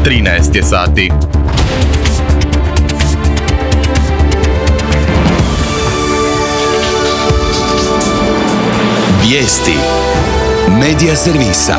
13 je sati. Vijesti Medija servisa.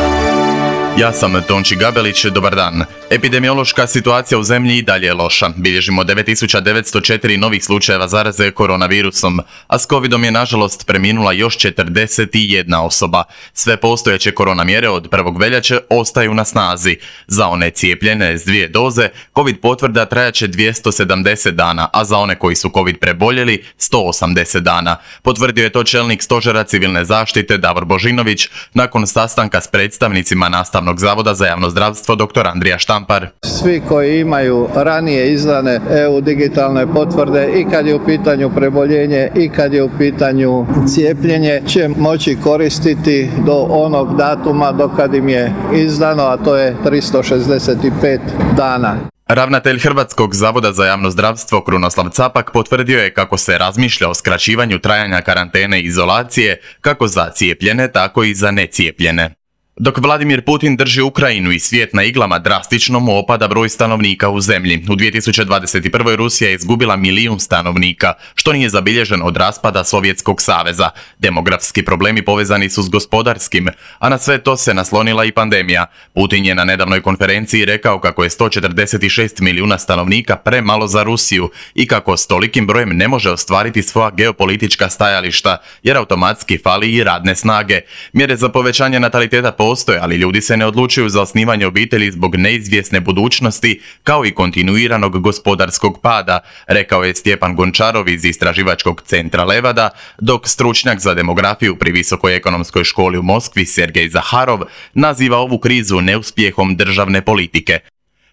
Ja sam Tonči Gabelić, dobar dan. Epidemiološka situacija u zemlji i dalje je loša. Bilježimo 9904 novih slučajeva zaraze koronavirusom, a s covidom je nažalost preminula još 41 osoba. Sve postojeće korona mjere od 1. veljače ostaju na snazi. Za one cijepljene s 2 doze, covid potvrda trajaće 270 dana, a za one koji su covid preboljeli 180 dana. Potvrdio je to čelnik Stožera civilne zaštite Davor Božinović nakon sastanka s predstavnicima Nastavnog zavoda za javno zdravstvo dr. Andrija Štampar. Svi koji imaju ranije izdane EU digitalne potvrde i kad je u pitanju preboljenje i kad je u pitanju cijepljenje će moći koristiti do onog datuma do kad im je izdano, a to je 365 dana. Ravnatelj Hrvatskog zavoda za javno zdravstvo Krunoslav Capak potvrdio je kako se razmišlja o skraćivanju trajanja karantene i izolacije kako za cijepljene, tako i za necijepljene. Dok Vladimir Putin drži Ukrajinu i svijet na iglama, drastično mu opada broj stanovnika u zemlji. U 2021. Rusija je izgubila 1 milijun stanovnika, što nije zabilježeno od raspada Sovjetskog saveza. Demografski problemi povezani su s gospodarskim, a na sve to se naslonila i pandemija. Putin je na nedavnoj konferenciji rekao kako je 146 milijuna stanovnika premalo za Rusiju i kako s tolikim brojem ne može ostvariti svoja geopolitička stajališta, jer automatski fali i radne snage. Mjere za povećanje nataliteta postoje, ali ljudi se ne odlučuju za osnivanje obitelji zbog neizvjesne budućnosti, kao i kontinuiranog gospodarskog pada, rekao je Stjepan Gončarov iz Istraživačkog centra Levada, dok stručnjak za demografiju pri Visokoj ekonomskoj školi u Moskvi Sergej Zaharov naziva ovu krizu neuspjehom državne politike.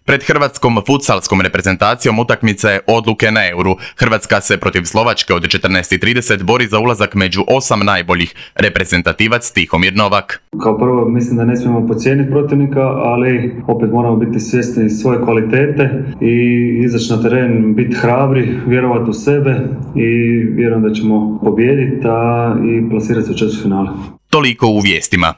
Pred hrvatskom futsalskom reprezentacijom utakmica je odluke na Euru. Hrvatska se protiv Slovačke od 14:30 bori za ulazak među 8 najboljih. Reprezentativac Tihomir Novak. Kao prvo mislim da ne smijemo podcijeniti protivnika, ali opet moramo biti svjesni svoje kvalitete i izaći na teren, biti hrabri, vjerovati u sebe i vjerujem da ćemo pobijediti i plasirati se u četvrtfinale. Toliko u vijestima.